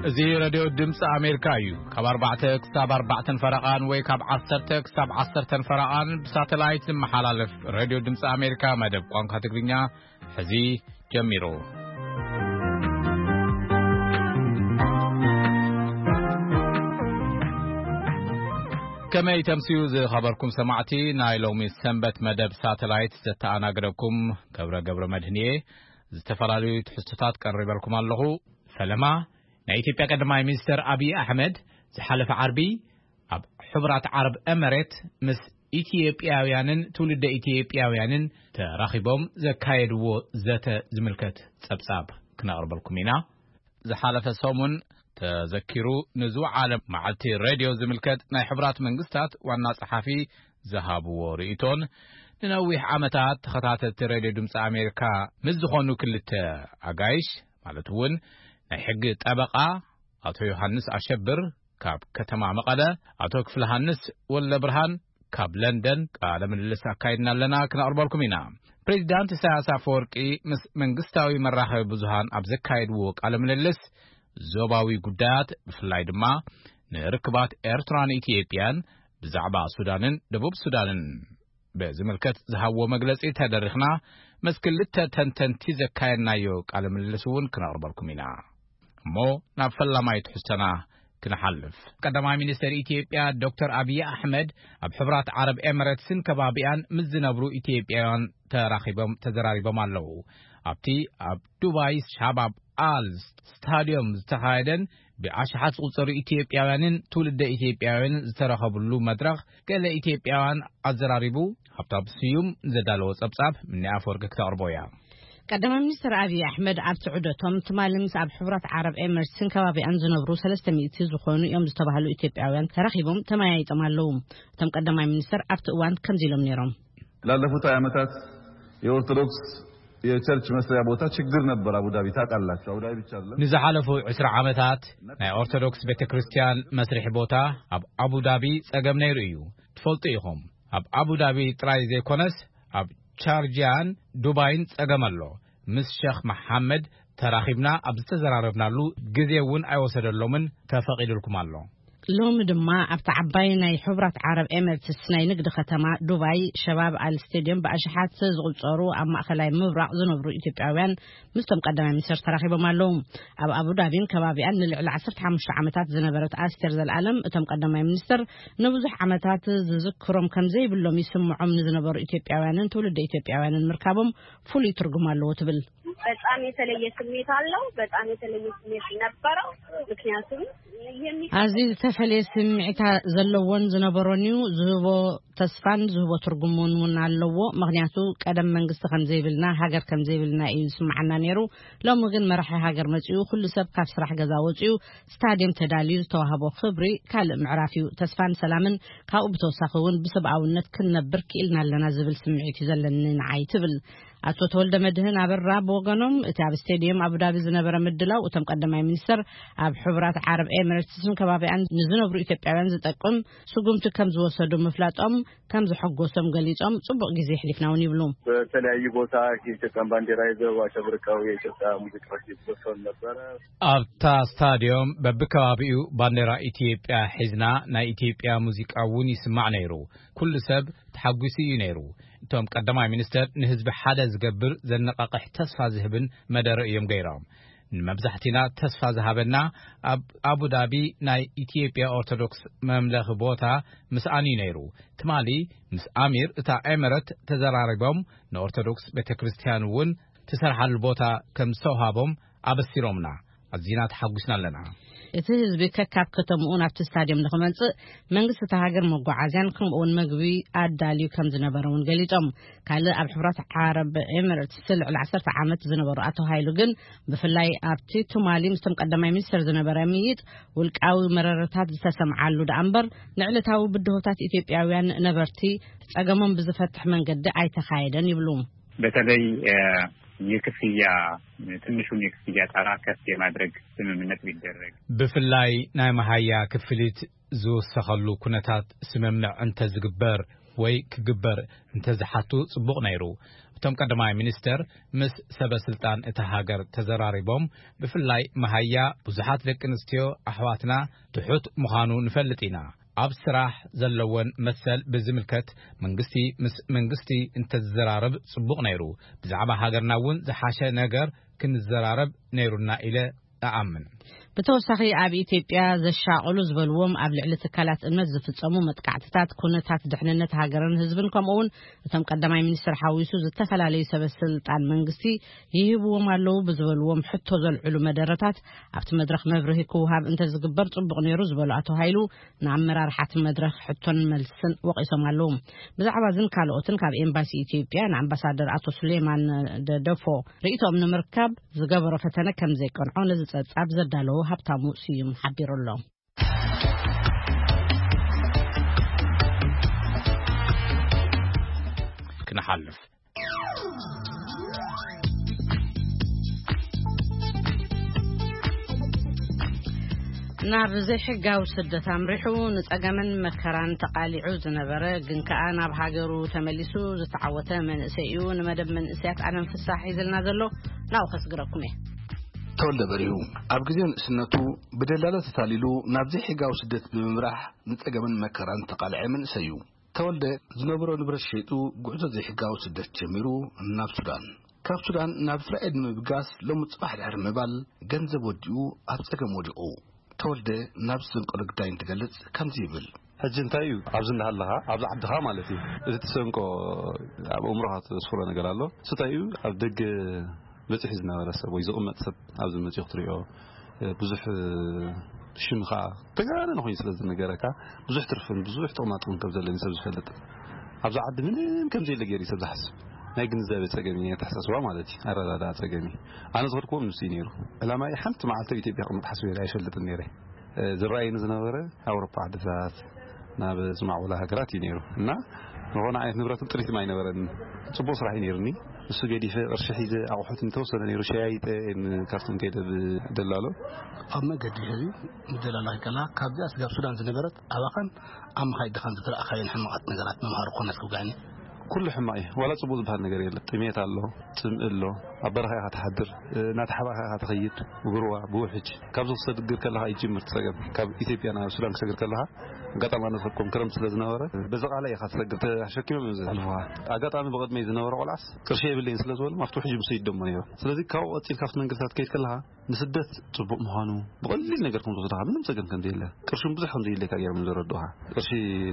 እዚ ሬድዮ ድምፂ ኣሜሪካ እዩ። ካብ ኣርባዕተ ክሳብ ኣርባዕተን ፈረቓን ወይ ካብ ዓሰርተ ክሳብ ዓሰርተን ፈረቓን ብሳተላይት ዝመሓላለፍ ሬድዮ ድምፂ ኣሜሪካ መደብ ቋንቋ ትግርኛ ሕዚ ጀሚሩ። ከመይ ተምስዩ ዝኸበርኩም ሰማዕቲ፣ ናይ ሎሚ ሰንበት መደብ ሳተላይት ዘተኣናግደኩም ገብረ ገብረ መድህን እየ። ዝተፈላለዩ ትሕዝቶታት ቀሪበልኩም ኣለኹ። ፈለማ፣ ናይ ኢትዮጵያ ቀዳማይ ሚኒስተር ኣብይ ኣሕመድ ዝሓለፈ ዓርቢ ኣብ ሕቡራት ዓረብ ኤመሬት ምስ ኢትዮጵያውያንን ትውልደ ኢትዮጵያውያንን ተራኺቦም ዘካየድዎ ዘተ ዝምልከት ጸብጻብ ክነቕርበልኩም ኢና። ዝሓለፈ ሰሙን ተዘኪሩ ንዝወዓለ መዓልቲ ሬድዮ ዝምልከት ናይ ሕቡራት መንግስታት ዋና ጸሓፊ ዝሃብዎ ርእይቶን ንነዊሕ ዓመታት ተኸታተልቲ ሬድዮ ድምፂ ኣሜሪካ ምስ ዝኾኑ ክልተ ኣጋይሽ፣ ማለት እውን ናይ ሕጊ ጠበቓ ኣቶ ዮሃንስ ኣሸብር ካብ ከተማ መቐለ፣ ኣቶ ክፍለ ሃንስ ወልደ ብርሃን ካብ ለንደን ቃለ ምልልስ ኣካይድና ኣለና፣ ክነቕርበልኩም ኢና። ፕሬዚዳንት ኢሳያስ ኣፈወርቂ ምስ መንግስታዊ መራኸቢ ብዙሃን ኣብ ዘካየድዎ ቃለ ምልልስ፣ ዞባዊ ጉዳያት፣ ብፍላይ ድማ ንርክባት ኤርትራን ኢትዮጵያን፣ ብዛዕባ ሱዳንን ደቡብ ሱዳንን ብዝምልከት ዝሃብዎ መግለጺ ተደሪኽና፣ ምስ ክልተ ተንተንቲ ዘካየድናዮ ቃለ ምልልስ እውን ክነቕርበልኩም ኢና። እሞ ናብ ፈላማይ ትሕዝቶና ክንሓልፍ። ቀዳማይ ሚኒስተር ኢትዮጵያ ዶክተር ኣብይ ኣሕመድ ኣብ ሕቡራት ዓረብ ኤምሬትስን ከባቢኣን ምስ ዝነብሩ ኢትዮጵያውያን ተራኺቦም ተዘራሪቦም ኣለዉ። ኣብቲ ኣብ ዱባይ ሻባብ ኣል ስታዲዮም ዝተኻየደን ብኣሽሓት ዝቑጸሩ ኢትዮጵያውያንን ትውልደ ኢትዮጵያውያንን ዝተረኸብሉ መድረኽ፣ ገለ ኢትዮጵያውያን ኣዘራሪቡ። ሃብታም ስዩም ዘዳለዎ ጸብጻብ፣ ምኒ ኣፈወርቂ ክተቕርቦ እያ። ቀዳማይ ሚኒስትር ኣብይ ኣሕመድ ኣብቲ ዑደቶም፣ ትማሊ ምስ ኣብ ሕቡራት ዓረብ ኤምሬትስን ከባቢኣን ዝነብሩ ሰለስተ ሚእቲ ዝኾኑ እዮም ዝተባህሉ ኢትዮጵያውያን ተራኺቦም ተመያይጦም ኣለዉ። እቶም ቀዳማይ ሚኒስትር ኣብቲ እዋን ከምዚ ኢሎም ነይሮም። ላለፉት ሃያ ዓመታት የኦርቶዶክስ የቸርች መስሪያ ቦታ ችግር ነበር። አቡዳቢ ታውቃላችሁ። አቡዳቢ ብቻ አይደለም። ንዝሓለፉ ዕስራ ዓመታት ናይ ኦርቶዶክስ ቤተ ክርስቲያን መስርሒ ቦታ ኣብ ኣቡዳቢ ጸገም ነይሩ እዩ። ትፈልጡ ኢኹም። ኣብ ኣቡዳቢ ጥራይ ዘይኮነስ፣ ኣብ ቻርጂያን ዱባይን ጸገም ኣሎ። ምስ ሸኽ መሓመድ ተራኺብና ኣብ ዝተዘራረብናሉ ግዜ እውን ኣይወሰደሎምን፣ ተፈቒዱልኩም ኣሎ። ሎሚ ድማ ኣብቲ ዓባይ ናይ ሕቡራት ዓረብ ኤምሬትስ ናይ ንግዲ ከተማ ዱባይ፣ ሸባብ ኣል ስቴድዮም፣ ብኣሽሓት ዝቑጸሩ ኣብ ማእከላይ ምብራቕ ዝነብሩ ኢትዮጵያውያን ምስቶም ቀዳማይ ሚኒስትር ተራኺቦም ኣለዉ። ኣብ ኣቡዳቢን ከባቢኣን ንልዕሊ ዓሰርተ ሓሙሽተ ዓመታት ዝነበረት ኣስቴር ዘልኣለም፣ እቶም ቀዳማይ ሚኒስትር ንብዙሕ ዓመታት ዝዝክሮም ከም ዘይብሎም ይስምዖም ንዝነበሩ ኢትዮጵያውያንን ትውልደ ኢትዮጵያውያንን ምርካቦም ፍሉይ ትርጉም ኣለዎ ትብል። በጣም የተለየ ስሜት አለው። በጣም የተለየ ስሜት ነበረው። ምክንያቱም የሚ- ኣዝዩ ዝተፈለየ ስምዒት ዘለዎን ዝነበሮን እዩ። ዝህቦ ተስፋን ዝህቦ ትርጉምን እውን ኣለዎ። ምክንያቱ ቀደም መንግስቲ ከም ዘይብልና፣ ሃገር ከም ዘይብልና እዩ ዝስምዓና ነይሩ። ሎሚ ግን መራሒ ሃገር መጺኡ፣ ኩሉ ሰብ ካብ ስራሕ ገዛ ወጺኡ፣ ስታድየም ተዳልዩ፣ ዝተዋህቦ ክብሪ ካልእ ምዕራፍ እዩ። ተስፋን ሰላምን ካብኡ ብተወሳኺ እውን ብሰብኣውነት ክንነብር ክኢልና ኣለና ዝብል ስምዒት እዩ ዘለኒ ንዓይ ትብል። ኣቶ ተወልደ መድህን ኣበራ ብወገኖም፣ እቲ ኣብ ስቴድየም ኣቡዳቢ ዝነበረ ምድላው፣ እቶም ቀዳማይ ሚኒስትር ኣብ ሕቡራት ዓረብ ኤምሬትስን ከባቢኣን ንዝነብሩ ኢትዮጵያውያን ዝጠቅም ስጉምቲ ከም ዝወሰዱ ምፍላጦም ከም ዘሐጎሶም ገሊጾም፣ ጽቡቕ ግዜ ኣሕሊፍና እውን ይብሉ። በተለያዩ ቦታ የኢትዮጵያን ባንዲራ ይዘው አሸብርቀው የኢትዮጵያ ሙዚቃዎች ይዘፈኑ ነበረ። ኣብታ ስታድዮም በብከባቢኡ ባንዲራ ኢትዮጵያ ሒዝና ናይ ኢትዮጵያ ሙዚቃ እውን ይስማዕ ነይሩ። ኩሉ ሰብ ተሓጒሱ እዩ ነይሩ። እቶም ቀዳማይ ሚኒስትር ንህዝቢ ሓደ ዝገብር፣ ዘነቓቕሕ፣ ተስፋ ዝህብን መደረ እዮም ገይሮም። ንመብዛሕቲና ተስፋ ዝሃበና፣ ኣብ ኣቡዳቢ ናይ ኢትዮጵያ ኦርቶዶክስ መምለኺ ቦታ ምስኣን እዩ ነይሩ። ትማሊ ምስ ኣሚር እታ ኤምሬት ተዘራሪቦም፣ ንኦርቶዶክስ ቤተ ክርስቲያን እውን ትሰርሓሉ ቦታ ከም ዝተውሃቦም ኣበሲሮምና። ኣዚና ተሓጒስና ኣለና። እቲ ህዝቢ ከካብ ከተምኡ ናብቲ ስታድየም ንኽመጽእ መንግስቲ እታ ሃገር መጓዓዝያን ከምኡውን መግቢ ኣዳልዩ ከም ዝነበረ እውን ገሊጾም። ካልእ ኣብ ሕብራት ዓረብ ኤምሬትስ ልዕሊ ዓሰርተ ዓመት ዝነበሩ ኣቶ ሃይሉ ግን፣ ብፍላይ ኣብቲ ትማሊ ምስቶም ቀዳማይ ሚኒስትር ዝነበረ ምይይጥ፣ ውልቃዊ መረረታት ዝተሰምዓሉ ደኣ እምበር፣ ንዕለታዊ ብድሆታት ኢትዮጵያውያን ነበርቲ ጸገሞም ብዝፈትሕ መንገዲ ኣይተኻየደን ይብሉ። በተለይ፣ እ፣ የክፍያ፣ ትንሹን የክፍያ ጣራ ከፍ የማድረግ ስምምነት ቢደረግ። ብፍላይ ናይ መሃያ ክፍሊት ዝውሰኸሉ ኩነታት ስምምዕ እንተዝግበር ወይ ክግበር እንተዝሓቱ ጽቡቕ ነይሩ። እቶም ቀዳማይ ሚኒስተር ምስ ሰበ ስልጣን እታ ሃገር ተዘራሪቦም፣ ብፍላይ መሃያ ብዙሓት ደቂ ኣንስትዮ ኣሕዋትና ትሑት ምዃኑ ንፈልጥ ኢና። ኣብ ስራሕ ዘለወን መሰል ብዝምልከት መንግስቲ ምስ መንግስቲ እንተዝዘራረብ ጽቡቕ ነይሩ። ብዛዕባ ሃገርና እውን ዝሓሸ ነገር ክንዘራረብ ነይሩና ኢለ እኣምን። ብተወሳኺ ኣብ ኢትዮጵያ ዘሻቐሉ ዝበልዎም ኣብ ልዕሊ ትካላት እምነት ዝፍጸሙ መጥቃዕትታት፣ ኩነታት ድሕንነት ሃገርን ህዝብን፣ ከምኡውን እቶም ቀዳማይ ሚኒስትር ሓዊሱ ዝተፈላለዩ ሰበ ስልጣን መንግስቲ ይህብዎም ኣለዉ ብዝበልዎም ሕቶ ዘልዕሉ መደረታት ኣብቲ መድረኽ መብርሂ ክውሃብ እንተዝግበር ጽቡቕ ነይሩ ዝበሉ ኣቶ ሃይሉ፣ ንኣመራርሓቲ መድረኽ ሕቶን መልስን ወቒሶም ኣለዉ። ብዛዕባ እዝን ካልኦትን ካብ ኤምባሲ ኢትዮጵያ ንኣምባሳደር ኣቶ ሱሌማን ደደፎ ርእይቶኦም ንምርካብ ዝገበሮ ፈተነ ከም ዘይቀንዖ ነዚ ጸብጻብ ዘዳለዎ ሃብታሙ ስዩም ሓቢሩ ኣሎ። ክንሓልፍ ናብ ዘይሕጋዊ ስደት ኣምሪሑ ንጸገምን መከራን ተቓሊዑ ዝነበረ፣ ግን ከኣ ናብ ሃገሩ ተመሊሱ ዝተዓወተ መንእሰይ እዩ። ንመደብ መንእሰያት ኣለም ፍሳሕ ሒዝልና ዘሎ ናብኡ ከስግረኩም እየ። ተወልደ በሪሁ ኣብ ግዜ ንእስነቱ ብደላሎ ተታሊሉ ናብ ዘይሕጋዊ ስደት ብምምራሕ ንጸገምን መከራን ተቓልዐ መንእሰይ እዩ። ተወልደ ዝነበሮ ንብረት ሸይጡ ጉዕዞ ዘይሕጋዊ ስደት ጀሚሩ ናብ ሱዳን፣ ካብ ሱዳን ናብ እስራኤል ንምብጋስ ሎሚ ጽባሕ ድሕሪ ምባል ገንዘብ ወዲኡ ኣብ ጸገም ወዲቑ። ተወልደ ናብ ዝሰንቀሎ ግዳይ እንትገልጽ ከምዚ ይብል። ሕጂ እንታይ እዩ ኣብዚ እንዳሃለኻ ኣብዚ ዓድኻ ማለት እዩ፣ እዚ ትሰንቆ ኣብ ኣእምሮኻ ተስፍሮ ነገር ኣሎ። እሱ እንታይ እዩ ኣብ ደገ በጺሑ ዝነበረ ሰብ ወይ ዝቕመጥ ሰብ ኣብዚ መጺኡ ክትሪኦ፣ ብዙሕ ሽም ኸዓ ተጋነነ ኮይኑ ስለ ዝነገረካ፣ ብዙሕ ትርፍን ብዙሕ ጥቕማጥቕምን ከም ዘለኒ ሰብ ዝፈልጥ፣ ኣብዚ ዓዲ ምንም ከም ዘየለ ገይሩ እዩ ሰብ ዝሓስብ። ናይ ግንዛቤ ጸገም እዩ፣ ናይ ኣተሓሳስባ ማለት እዩ፣ ኣረዳድኣ ጸገም እዩ። ኣነ ዝኸድክዎ ንሱ እዩ ነይሩ። ዕላማይ ሓንቲ መዓልቲ ኣብ ኢትዮጵያ ክቕመጥ ሓስበ ኣይፈልጥን ነይረ። ዝረኣየኒ ዝነበረ ኣውሮፓ ዓድታት፣ ናብ ዝማዕበላ ሃገራት እዩ ነይሩ እና ዝኾነ ዓይነት ንብረትን ጥሪትን ኣይነበረን። ጽቡቕ ስራሕ እዩ ነይሩኒ። እሱ ገዲፈ ቅርሺ ሒዘ ኣቑሑት እንተወሰነ ነይሩ ሸያይጠ እየ ንካርቱም ከይደ ብደላሎ። ኣብ መገዲ ሕዚ ምደላላ ከላ ካብዚኣ ስጋብ ሱዳን ዝነበረት ኣባኻን ኣብ ምኻድ ድኻን ዝተረኣኻየን ሕማቓት ነገራት መምሃሪ ኮነት ክውጋኒ። ኩሉ ሕማቕ እዩ። ዋላ ጽቡቕ ዝበሃል ነገር የለን። ጥሜት ኣሎ፣ ጽምኢ ኣሎ፣ ኣብ በረኻ ኢኻ ትሓድር፣ እናተሓባእካ ኢኻ ትኸይድ፣ ብጉርዋ፣ ብውሕጅ። ካብዚ ክሰግር ከለኻ ይጅምር እቲ ጸገም። ካብ ኢትዮጵያ ናብ ሱዳን ክሰግር ከለኻ ኣጋጣሚ ኣነ ዝኸድኩም ክረምቲ ስለ ዝነበረ በዚ ቃላይ ኢኻ ትሰግር፣ ተሸኪሞም እዮም ዘሕልፉኻ። ኣጋጣሚ ብቕድመይ ዝነበረ ቆልዓስ ቅርሺ የብለይን ስለ ዝበሎም ኣብቲ ውሕጅ ምስ ይደሞ ነይሩ። ስለዚ ካብኡ ቀጺልካ ኣብቲ መንገድታት ከይድ ከለኻ ንስደት ጽቡቕ ምዃኑ ብቐሊል ነገር ከም ዝወስድኻ፣ ምንም ጸገም ከም ዘየለ፣ ቅርሹን ብዙሕ ከም ዘየድልየካ ገይሮም እዮም ዘረድኡኻ። ቅርሺ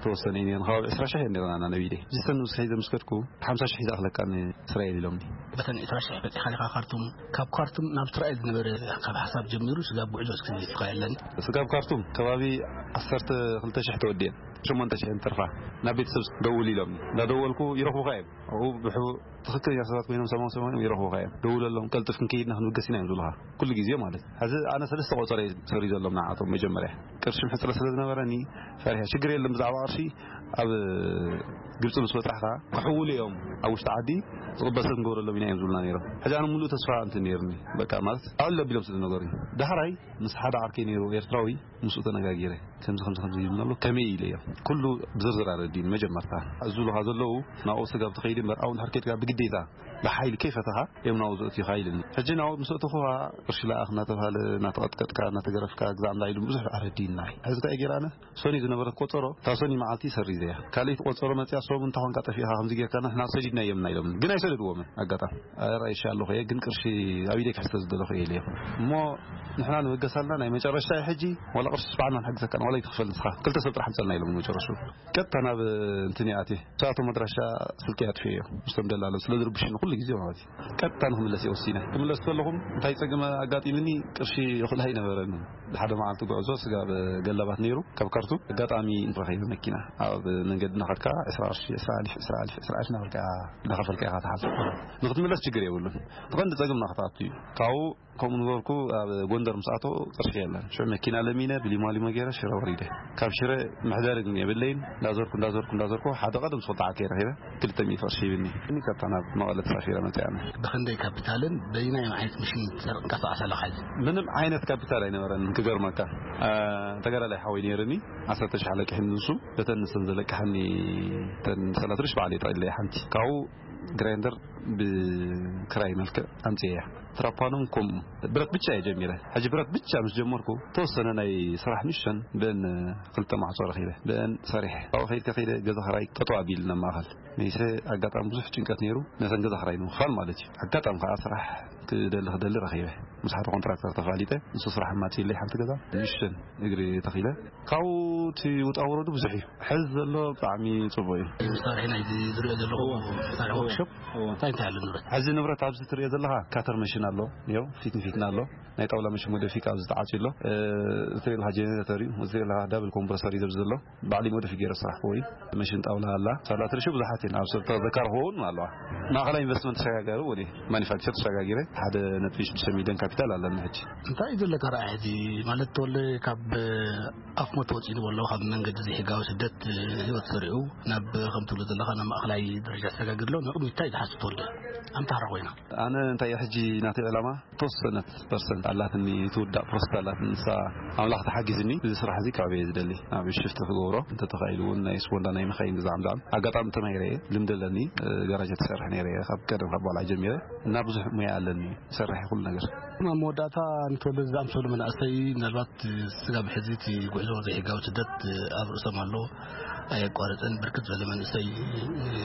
ተወሰነ እዩ ነይሩ፣ ከባቢ ዕስራ ሽሕ እዮም ነይሩና ናብ ኢደይ። ዝሰን ምስ ሒዘ ምስ ከድኩ ሓምሳ ሽሕ ሒዛ ኣኽለካ ንእስራኤል ኢሎምኒ። በተን ዕስራ ሽሕ በጺኻ ኢኻ ካርቱም። ካብ ካርቱም ናብ እስራኤል ዝነበረ ካብ ሓሳብ ጀሚሩ ስጋብ ጉዕዞ እስኪ ዝሊፍካ የለን። ስጋብ ካርቱም ከባቢ ዓሰርተ ክልተ ሽሕ ተወዲአን ሸሞንተ ሽሕ እንትርፋ ናብ ቤተሰብ ደውል ኢሎምኒ። እንዳደወልኩ ይረኽቡኻ እዮም። ኣብኡ ብሑ-፣ ትኽክለኛ ሰባት ኮይኖም ሰማው ሰማው ይረኽቡኻ እዮም። ደውለሎም፣ ቀልጥፍ ክንከይድና ክንብገስ ኢና እዮም ዝብሉኻ። ኩሉ ግዜ ማለት እዩ። ሕዚ ኣነ ሰለስተ ቆጸረ እዩ ሰሪዘሎም ንዓቶም። መጀመርያ ቅርሺ ሕጽረት ስለ ዝነበረኒ ፈሪሐ፣ ሽግር የለን ብዛዕባ ቅርሺ ኣብ ግብጺ ምስ በጻሕካ ክሕውሉ እዮም ኣብ ውሽጢ ዓዲ ዝቕበል ሰብ ክንገብረሎም ኢና እዮም ዝብሉና ነይሮም። ሕጂ ኣነ ሙሉእ ተስፋ እንትን ነይሩኒ። በቃ ማለት ኣዕለ ቢሎም ስለ ዝነገሩኒ። ዳሕራይ ምስ ሓደ ዓርከይ ነይሩ ኤርትራዊ ምስኡ ተነጋጊረ። ከምዚ ከምዚ ከምዚ ይብሉ ኣሎ፣ ከመይ ኢለ እዮም። ኩሉ ብዝርዝር ኣረዲኡኒ መጀመርታ። ዝብሉኻ ዘለዉ ናብኡ ስጋብ ትኸይድ እምበር ኣብኡ እንድሕር ከይድካ ብግዴታ ብሓይሊ ከይፈተኻ እዮም ናብኡ ዘእትዩኻ ኢሉኒ። ሕጂ ናብኡ ምስ ኣእተኹኻ ቅርሺ ለኣኽ እናተባህለ እናተቐጥቀጥካ እናተገረፍካ ግዛዕ እንዳ ኢሉ ብዙሕ ኣረዲኡኒ። ሕዚ እንታይ ገይረ ኣነ? ሶኒ ዝነበረት ቆጸሮ እታ ሶኒ መዓልቲ ሰሪዘያ። ካልኣይቲ ቆጸሮ መጽያ ሶም እንተ ኾንካ ጠፊእኻ ከምዚ ጌርካ ንሕና ሰዲድናዮም ኢና ኢሎምኒ። ግን ኣይሰደድዎምን ኣጋጣሚ። ኣረ ይሻ ኣለኹ እየ፣ ግን ቅርሺ ኣብ ኢደይ ክሕዝ ስለ ዝደለኹ እየ ኢለዮም። እሞ ንሕና ንበገሳልና ናይ መጨረሻ እዩ ሕጂ፣ ዋላ ቅርሺ ስብዓና ንሕግዘካ፣ ዋላ ይትኽፈል ንስኻ፣ ክልተ ሰብ ጥራሕ ምጸልና ኢሎም መጨረሹ። ቀጥታ ናብ እንትን እየ ኣትየ። ሰኣቶም ኣድራሻ ስልኪ ኣጥፍኤዮ። ምስቶም ደላሎ ስለ ዝርብሽኒ ኩሉ ግዜ ማለት እዩ። ቀጥታ ንክምለስ እየ ወሲነ። ክምለስ ከለኹም እንታይ ጸገም ኣጋጢምኒ፣ ቅርሺ ይኽእል ኣይነበረን። ሓደ መዓልቲ ጉዕዞ ስጋብ ገላባት ነይሩ፣ ካብ ካርቱም ኣጋጣሚ ረኺበ መኪና። ኣብ መንገዲ እናኸድካ ዕስራ ቅርሺ፣ ዕስራ ኣልፍ፣ ዕስራ ኣልፍ፣ ዕስራ ኣልፍ እናበልካ እናኸፈልካ ኢኻ ትሓልፍ። ንክትምለስ ችግር የብሉን። እቲ ቀንዲ ጸገም ናኽትኣቱ እዩ። ካብኡ ከምኡ ንገርኩ ኣብ ጎንደር ምስ ኣተው ቅርሺ የለን። ሽዑ መኪና ለሚነ ብሊማሊሞ ገይረ ሽረ ወሪደ። ካብ ሽረ መሕደሪ ግን የብለይን። እንዳዞርኩ እንዳዞርኩ እንዳዞርኩ ሓደ ቀደም ዝፈልጦ ዓርከይ ረኺበ ክልተ ሚእቲ ቅርሺ ሂብኒ። እኒ ካብታ ናብ መቐለ ተሳፊረ መፅእ ኣነ። ብኽንደይ ካፒታልን በይናይ ዓይነት ምሽን ትንቀሳቐስ ኣለኻ ሕጂ? ምንም ዓይነት ካፒታል ኣይነበረን ክገርመካ። አ፣ ተጋዳላይ ሓወይ ነይርኒ፣ ዓሰርተ ሽሕ ኣለቂሕኒ ንሱ፣ በተን ንሰን ዘለቅሓኒ ተን ሰላሳ ሽሕ ባዕለይ ጠቕሊለይ ሓንቲ። ካብኡ ግራይንደር ብክራይ መልክዕ ኣምፅኤ እያ። ትራፓኖን ከምኡ ብረት ብቻ እየ ጀሚረ። ሕጂ ብረት ብቻ ምስ ጀመርኩ ተወሰነ ናይ ስራሕ ንእሽተን ብን ክልተ ማዕጾ ረኺበ ብን ሰሪሐ። ኣብኡ ከይድካ ከይደ ገዛ ክራይ ጠጠው ኣቢልና ማእኸል መይሰ ኣጋጣሚ ብዙሕ ጭንቀት ነይሩ። ነተን ገዛ ክራይ ንምኽፋል ማለት እዩ። ኣጋጣሚ ከዓ ስራሕ ክደሊ ክደሊ ረኺበ። ምስ ሓደ ኮንትራክተር ተፋሊጠ። ንሱ ስራሕ ኣማፂእለይ ሓንቲ ገዛ ንእሽተን እግሪ ተኺለ። ካብኡ እቲ ውጣ ውረዱ ብዙሕ እዩ። ሕዚ ዘሎ ብጣዕሚ ጽቡቕ እዩ። እዚ መሳርሒ ናይዚ ዝሪኦ ዘለኹ መሳርሒ ወርክሾፕ እንታይ እንታይ ኣሎ ንብረት? ሕዚ ንብረት ኣብዚ ትሪኦ ዘለኻ ካተር መሽን ኣሎ። ዮ ፊት ንፊትና ኣሎ። ናይ ጣውላ መሽን ወደፊት ኣብዚ ተዓፅዩ ኣሎ። እ፣ እዚ ትሪኦ ዘለኻ ጀነሬተር እዩ። እዚ ትሪኦ ዘለኻ ዳብል ኮምፕረሰር እዩ ዘብዚ ዘሎ። ባዕሊ ወደፊት ገይረ ስራሕ ክዎ እዩ። መሽን ጣውላ ኣላ። ሳላ ትርሹ ብዙሓት እየን። ኣብ ሰብ ተዘካር ክኸውን ኣለዋ። ማእኸላይ ኢንቨስትመንት ተሸጋጋሪ እውን እዩ። ማኒፋክቸር ተሸጋጊረ ሓደ ነጥቢ ሽዱሽተ ሚሊዮን ካፒታል ኣለኒ ሕጂ። እንታይ እዩ ዘለካ ረኣይ ሕጂ? ማለት ተወለ ካብ ኣፍ ሞት ወፂኡ ዝበሎ ካብ መንገዲ ዘይሕጋዊ ስደት ህይወት ሰሪዑ ናብ ከም ትብሎ ዘለኻ ናብ ማእኸላይ ደረጃ ተሰጋጊር ኣሎ። ንቕድሚት እንታይ ትሓስብ ተወልደ? ኣምታራ ኮይና። ኣነ እንታይ እየ ሕጂ ናተይ ዕላማ? ተወሰነት ፐርሰንት ኣላትኒ፣ ትውዳእ ፕሮሰስ ኣላትኒ። ንሳ ኣምላኽ ተሓጊዝኒ እዚ ስራሕ እዚ ካብ እየ ዝደሊ። ኣብ ሽፍቲ ክገብሮ እንተተኻኢሉ እውን ናይ ስፖንዳ ናይ መኻይን ብዛዕም ዛዕም ኣጋጣሚ ተማሂረ እየ። ልምዲ ኣለኒ። ጋራጅ ትሰርሕ ነይረ እየ ካብ ቀደም ካብ ባልዓ ጀሚረ እና ብዙሕ ሙያ ኣለኒ። ይሰርሕ ኩሉ ነገር። ኣብ መወዳእታ ንተወልደ ዝኣምሰሉ መናእሰይ ምናልባት ስጋብ ሕዚ እቲ ጉዕዞ ዘይሕጋዊ ስደት ኣብ ርእሶም ኣሎ። ኣየቋረፀን ብርክት ዝበለ መንእሰይ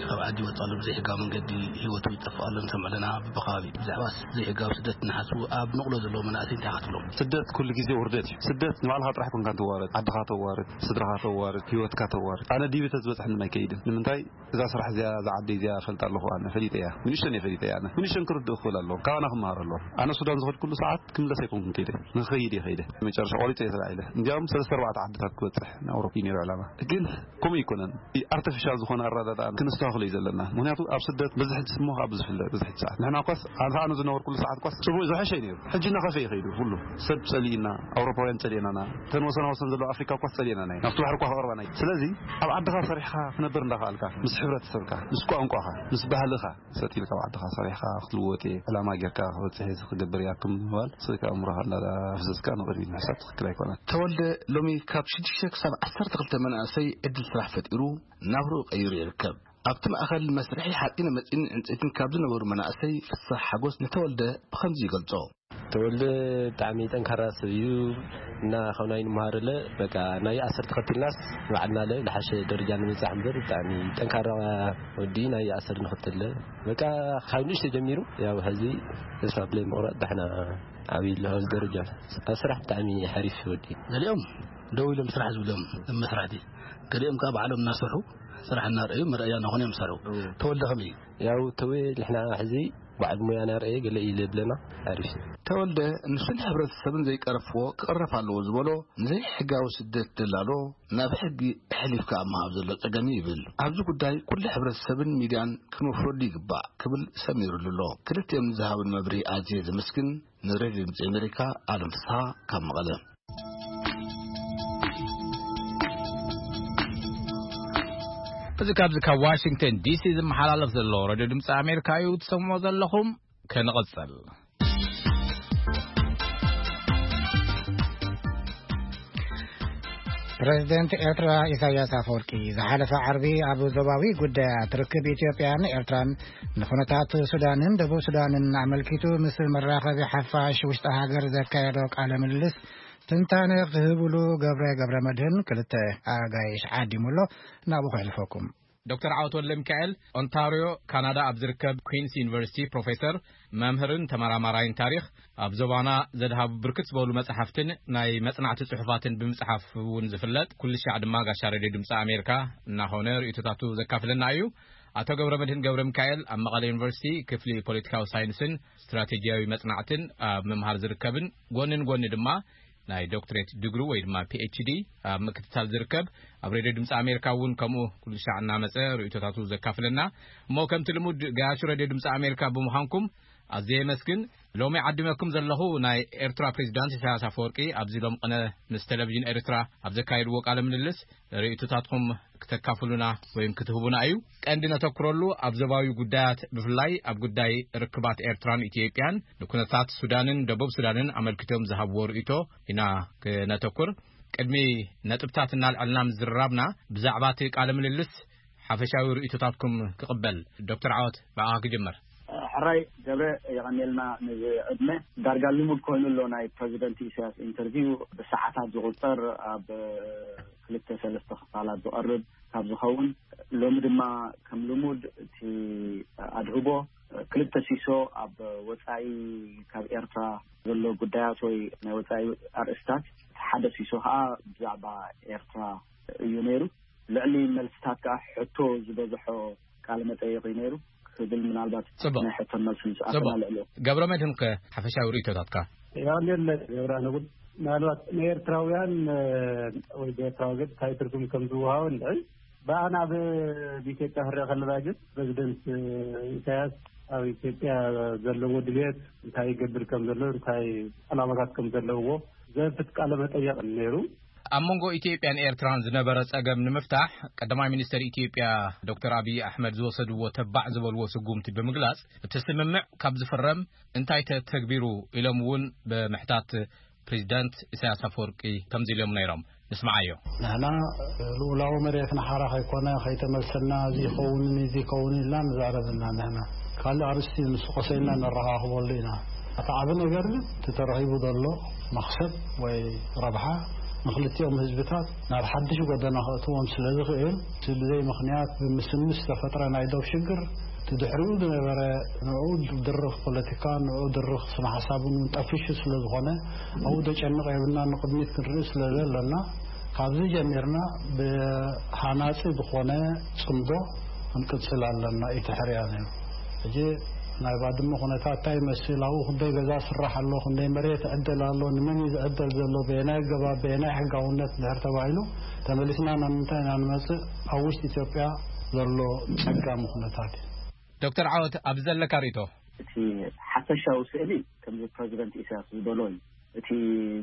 ካብ ዓዲ ይወፅእ ኣሎ። ብዘይሕጋዊ መንገዲ ህይወቱ ይጠፍእ ኣሎ ንሰምዕ ኣለና። ብከባቢ ብዛዕባ ዘይሕጋዊ ስደት እናሓስቡ ኣብ ንቕሎ ዘለዉ መናእሰይ እንታይ ክትብሎም? ስደት ኩሉ ግዜ ውርደት እዩ። ስደት ንባዕልኻ ጥራሕ ኮንካ ትዋረድ፣ ዓድኻ ተዋርድ፣ ስድራኻ ተዋርድ፣ ህይወትካ ተዋርድ። ኣነ ዲቢ ተዝበፅሐኒ ኣይከይድን። ንምንታይ? እዛ ስራሕ እዚኣ፣ እዛ ዓዲ እዚኣ እፈልጣ ኣለኹ ኣነ፣ ፈሊጠ እያ። ንእሽተን እየ ፈሊጠ እያ ኣነ። ንእሽተን ክርድእ ክኽእል ኣለዎ። ካባና ክመሃር ኣለዎ። ኣነ ሱዳን ዝኸድኩሉ ሰዓት ክምለስ ኣይኮንኩን ከይደ። ንኽኸይድ እየ ከይደ። መጨረሻ ቆሪፀ እየ ተላዒለ። እንዲያውም ሰለስተ ኣርባዕተ ዓድታት ክበፅሕ ንኣውሮፓ እዩ ነይሩ ዕላማ። ግን ከምኡ ኣይኮነን። ኣርቲፊሻል ዝኾነ ኣረዳድኣ ክነስተኻኽሎ እዩ ዘለና። ምኽንያቱ ኣብ ስደት በዝሒ ስሞ ካብ ዝፍለጥ በዝሒ ሰዓት። ንሕና እኳስ፣ ኣነ ዝነበርኩሉ ሰዓት እኳስ ጽቡቕ ዝሐሸ እዩ ነይሩ። ሕጂ እናኸፈ እዩ ከይዱ ኩሉ። ሰብ ጸሊእና፣ ኣውሮፓውያን ጸሊእናና፣ እተን ወሰና ወሰን ዘለዋ ኣፍሪካ እኳስ ጸሊእናና እዩ። ናብቲ ባሕሪ እኳ ክቐርባና እዩ። ስለዚ ኣብ ዓድኻ ሰሪሕኻ ክነብር እንዳኸኣልካ፣ ምስ ሕብረተሰብካ፣ ምስ ቋንቋኻ፣ ምስ ባህልኻ፣ ሰጥ ኢልካ ኣብ ዓድኻ ሰሪሕካ ክትልወጥ እየ፣ ዕላማ ጌርካ ክበጽሕ እየ ክገብር እየ ኣኩም ምባል፣ ስልካ ኣእምሮኻ እንዳፍሰስካ ንቕድሚት ምሕሳብ ትኽክል ኣይኮነን። ተወልደ ሎሚ ካብ ሽዱሽተ ክሳብ ዓሰርተ ክልተ መናእሰይ ዕድል ስራሕ ፈጢሩ ናብርኡ ቀይሩ ይርከብ። ኣብቲ ማእኸል መስርሒ ሓፂነ መፂን ዕንፀይትን ካብ ዝነበሩ መናእሰይ ፍሳሕ ሓጎስ ንተወልደ ብኸምዚ ይገልጾ። ተወልደ ብጣዕሚ ጠንካራ ሰብ እዩ እና ካብ ናይ ንምሃረለ በቃ ናይ ኣሰር ተኸትልናስ ንባዕልና ለ ዝሓሸ ደረጃ ንምብፃሕ እምበር ብጣዕሚ ጠንካራ ወዲ ናይ ኣሰር ንኽትለ በቃ ካብ ንእሽተ ጀሚሩ ያው ሕዚ ተስፋ ብለይ ምቑራፅ ዳሕና ዓብዩ ኣሎ ኣብዚ ደረጃ። ኣብ ስራሕ ብጣዕሚ ሓሪፍ ወዲ። ገሊኦም ደው ኢሎም ስራሕ ዝብሎም መስራሕቲ፣ ገሊኦም ከዓ ባዕሎም እናሰርሑ ስራሕ እናረኣዩ መረኣያ እናኾኑ እዮም ዝሰርሑ። ተወልደ ከመይ እዩ? ያው ተወ ንሕና ሕዚ በዓል ሞያ ናርአየ ገለ እዩ ዝብለና ሓሪፍ እዩ። ተወልደ ንሱን ሕብረተሰብን ዘይቀረፍዎ ክቕረፍ ኣለዎ ዝበሎ ንዘይሕጋዊ ስደት ደላሎ ናብ ሕጊ ኣሕሊፍካ ኣብ ምሃብ ዘሎ ጸገም እዩ ይብል። ኣብዚ ጉዳይ ኩሉ ሕብረተሰብን ሚድያን ክንወፍረሉ ይግባእ ክብል ሰሚሩሉ ኣሎ። ክልቲኦም ንዝሃቡን መብርሂ ኣዝየ ዘመስግን። ንሬድዮ ድምፂ ኣሜሪካ ኣለም ፍስሃ ካብ መቐለ። እዚ ካብዚ ካብ ዋሽንግተን ዲሲ ዝመሓላለፍ ዘሎ ሬድዮ ድምፂ ኣሜሪካ እዩ ትሰምዑ ዘለኹም። ከንቐፅል። ፕሬዝደንት ኤርትራ ኢሳያስ ኣፈወርቂ ዝሓለፈ ዓርቢ ኣብ ዞባዊ ጉዳያት ርክብ ኢትዮጵያን ኤርትራን ንኹነታት ሱዳንን ደቡብ ሱዳንን ኣመልኪቱ ምስ መራኸቢ ሓፋሽ ውሽጢ ሃገር ዘካየዶ ቃለ ምልልስ ትንታነ ክህብሉ ገብረ ገብረ መድህን ክልተ ኣጋይሽ ዓዲሙ ኣሎ። ናብኡ ከሕልፈኩም። ዶክተር ዓወት ወልደ ሚካኤል ኦንታርዮ ካናዳ ኣብ ዝርከብ ኩንስ ዩኒቨርሲቲ ፕሮፌሰር፣ መምህርን ተመራማራይን ታሪኽ፣ ኣብ ዞባና ዘድሃቡ ብርክት ዝበሉ መጽሓፍትን ናይ መጽናዕቲ ጽሑፋትን ብምጽሓፍ እውን ዝፍለጥ፣ ኩሉ ሻዕ ድማ ጋሻ ሬድዮ ድምፂ ኣሜሪካ እናኾነ ርእይቶታቱ ዘካፍለና እዩ። ኣቶ ገብረ መድህን ገብረ ሚካኤል ኣብ መቐለ ዩኒቨርሲቲ ክፍሊ ፖለቲካዊ ሳይንስን ስትራቴጂያዊ መጽናዕትን ኣብ ምምሃር ዝርከብን ጎንን ጎኒ ድማ ናይ ዶክትሬት ድግሩ ወይ ድማ ፒ ኤች ዲ ኣብ ምክትታል ዝርከብ፣ ኣብ ሬድዮ ድምፂ ኣሜሪካ እውን ከምኡ ኩሉ ሻዕ እናመፀ ርእይቶታቱ ዘካፍለና። እሞ ከምቲ ልሙድ ገያሹ ሬድዮ ድምፂ ኣሜሪካ ብምዃንኩም ኣዝየ የመስግን። ሎሚ ዓዲመኩም ዘለኹ ናይ ኤርትራ ፕሬዚዳንት ኢሳያስ ኣፈወርቂ ኣብዚ ሎም ቅነ ምስ ቴሌቪዥን ኤርትራ ኣብ ዘካየድዎ ቃለ ምልልስ ርእይቶታትኩም ክተካፍሉና ወይም ክትህቡና እዩ። ቀንዲ ነተኩረሉ ኣብ ዞባዊ ጉዳያት፣ ብፍላይ ኣብ ጉዳይ ርክባት ኤርትራን ኢትዮጵያን ንኩነታት ሱዳንን ደቡብ ሱዳንን ኣመልኪቶም ዝሃብዎ ርእይቶ ኢና ክነተኩር። ቅድሚ ነጥብታት እናልዐልና ምዝርራብና ብዛዕባ እቲ ቃለ ምልልስ ሓፈሻዊ ርእይቶታትኩም ክቕበል። ዶክተር ዓወት፣ ብኣኻ ክጅምር። ሕራይ ገብረ፣ የቐንየልና። ነዚ ዕድመ ዳርጋ ልሙድ ኮይኑ ኣሎ፣ ናይ ፕረዚደንት ኢሳያስ ኢንተርቪው ብሰዓታት ዝቑጸር፣ ኣብ ክልተ ሰለስተ ክፋላት ዝቐርብ ካብ ዝኸውን፣ ሎሚ ድማ ከም ልሙድ እቲ ኣድህቦ ክልተ ሲሶ ኣብ ወጻኢ፣ ካብ ኤርትራ ዘሎ ጉዳያት ወይ ናይ ወጻኢ ኣርእስታት፣ እቲ ሓደ ሲሶ ከዓ ብዛዕባ ኤርትራ እዩ ነይሩ። ልዕሊ መልስታት ከዓ ሕቶ ዝበዝሖ ቃለ መጠይቕ እዩ ነይሩ ክብል፣ ምናልባት ጽቡቕ። ናይ ሕቶን መልስን ሰዓትና ጽቡቕ። ልዕሊ ገብረ መድህን ከ ሓፈሻዊ ርእይቶታትካ? ያው ገብረ ንጉድ፣ ምናልባት ንኤርትራውያን ወይ ብኤርትራ ወገን እንታይ ትርጉም ከም ዝወሃቦ ንርኢ። ብኣና ብ-፣ ብኢትዮጵያ ክረአ ከለና ግን ፕረዚደንት ኢሳያስ ኣብ ኢትዮጵያ ዘለዎ ድልየት፣ እንታይ ይገብር ከም ዘሎ፣ እንታይ ዕላማታት ከም ዘለውዎ ዘፍት ቃለ መጠየቕ ነይሩ። ኣብ መንጎ ኢትዮጵያን ኤርትራን ዝነበረ ጸገም ንምፍታሕ፣ ቀዳማይ ሚኒስተር ኢትዮጵያ ዶክተር ኣብይ ኣሕመድ ዝወሰድዎ ተባዕ ዝበልዎ ስጉምቲ ብምግላጽ፣ እቲ ስምምዕ ካብ ዝፍረም እንታይ ተተግቢሩ ኢሎም እውን ብምሕታት ፕሬዚዳንት ኢሳያስ ኣፈወርቂ ከምዚ ኢሎም ነይሮም። ንስምዓዮ። ንሕና ልኡላዊ መሬትና ሓራ ከይኮነ፣ ከይተመልሰና፣ እዚ ይኸውን፣ እዚ ይኸውን ኢልና ንዛረብ እና ንሕና ካልእ ኣርእስቲ ምስ ቆሰልና ነረኻኽበሉ ኢና። እቲ ዓቢ ነገር ግን እቲ ተረኺቡ ዘሎ መኽሰብ ወይ ረብሓ ንኽልቲኦም ህዝብታት ናብ ሓድሽ ጎደና ከእትዎም ስለ ዝኽእል፣ እቲ ብዘይ ምኽንያት ብምስምስ ዝተፈጥረ ናይ ዶብ ሽግር፣ እቲ ድሕሪኡ ዝነበረ ንዕኡ ድርኽ ፖለቲካ፣ ንዕኡ ድርኽ ስነ ሓሳብን እውን ጠፊሹ ስለ ዝኾነ፣ ኣብኡ ደጨንቕ የብልና፣ ንቕድሚት ክንርኢ ስለ ዘለና፣ ካብዚ ጀሚርና ብሃናጺ ዝኾነ ጽምዶ ክንቅጽል ኣለና። ኢቲ ሕርያ ነይሩ። ሕጂ ናይ ባድመ ኩነታት እንታይ ይመስል? ኣብኡ ክንደይ ገዛ ስራሕ ኣሎ? ክንደይ መሬት ይዕደል ኣሎ? ንመን እዩ ዝዕደል ዘሎ? በየናይ ኣገባብ? በየናይ ሕጋውነት? ድሕር ተባሂሉ፣ ተመሊስና ናብ ምንታይ ኢና ንመጽእ? ኣብ ውሽጢ ኢትዮጵያ ዘሎ ጸጋሚ ኩነታት እዩ። ዶክተር ዓወት፣ ኣብዚ ዘለካ ርእይቶ? እቲ ሓፈሻዊ ስእሊ ከምዚ ፕረዚደንት ኢሳያስ ዝበሎ እዩ። እቲ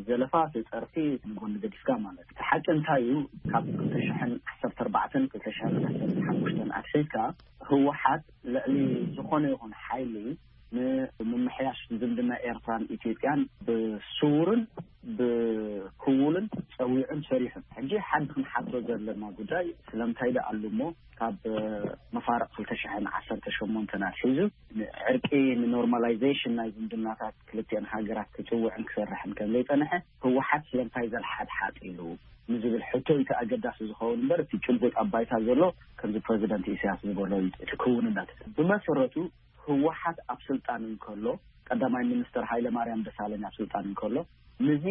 ዘለፋ፣ እቲ ጸርፊ ንጎኒ ገዲፍካ ማለት። እቲ ሓቂ እንታይ እዩ? ካብ ክልተ ሽሕን ዓሰርተ ኣርባዕተን ክልተ ሽሕን ዓሰርተ ሓሙሽተን ኣትሒዝካ ህወሓት ልዕሊ ዝኾነ ይኹን ሓይሊ ንምምሕያሽ ዝምድና ኤርትራን ኢትዮጵያን ብስውርን ብክውልን ጸዊዑን ሰሪሑን። ሕጂ ሓዲ ክንሓቶ ዘለና ጉዳይ፣ ስለምንታይ ደኣ ኣሉ እሞ ካብ መፋርቕ ክልተ ሽሕን ዓሰርተ ሸሞንተን ኣትሒዙ ንዕርቂ፣ ንኖርማላይዜሽን ናይ ዝምድናታት ክልቲአን ሃገራት ክጽውዕን ክሰርሕን ከም ዘይጸንሐ፣ ህወሓት ስለምንታይ ዘልሓጥሓጥ ኢሉ ንዝብል ሕቶ እዩ እቲ ኣገዳሲ ዝኸውን እምበር፣ እቲ ጭቡጥ ኣብ ባይታ ዘሎ ከምዚ ፕረዚደንት ኢሳያስ ዝበሎ እዩ እቲ ክውንነት። ብመሰረቱ ህወሓት ኣብ ስልጣን እንከሎ፣ ቀዳማይ ሚኒስተር ሃይለ ማርያም ደሳለኝ ኣብ ስልጣን እንከሎ፣ ንዚ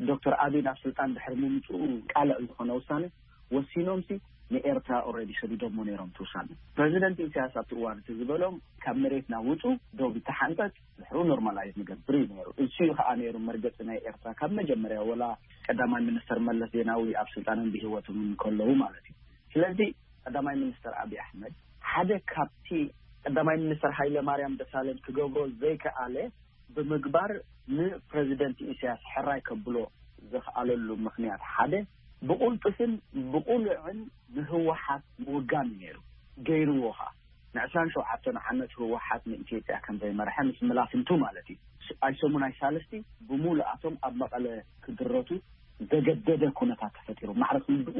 ዶክተር ኣቢይ ናብ ስልጣን ድሕሪ ምምፅኡ ቃልዕ ዝኾነ ውሳነ ወሲኖምሲ ንኤርትራ ኦልሬዲ ሰዲዶሞ ነይሮም እቲ ውሳነ። ፕረዚደንት ኢሳያስ ኣብቲ እዋን እቲ ዝበሎም፣ ካብ መሬትና ውፁ፣ ዶብ ይተሓንፀፅ፣ ድሕሩ ኖርማላይዝ ንገብር እዩ ነይሩ። እሱ እዩ ከዓ ነይሩ መርገፂ ናይ ኤርትራ ካብ መጀመርያ፣ ወላ ቀዳማይ ሚኒስተር መለስ ዜናዊ ኣብ ስልጣንን ብህይወቶም እንከለዉ ማለት እዩ። ስለዚ ቀዳማይ ሚኒስተር ኣብይ ኣሕመድ ሓደ ካብቲ ቀዳማይ ሚኒስተር ሃይለ ማርያም ደሳለኝ ክገብሮ ዘይከኣለ ብምግባር፣ ንፕረዚደንት ኢሳያስ ሕራይ ከብሎ ዘኽኣለሉ ምኽንያት ሓደ ብቕልጡፍን ብቕሉዕን ንህወሓት ምውጋን እዩ ነይሩ። ገይርዎ ኸዓ። ንዕስራን ሸውዓተን ዓመት ህወሓት ንኢትዮጵያ ከም ዘይመርሐ ምስ መላፍንቱ ማለት እዩ። ኣይሰሙን ኣይሳልስቲ ብምሉኣቶም ኣብ መቐለ ክድረቱ ዘገደደ ኩነታት ተፈጢሩ። ማዕረ ክንድኡ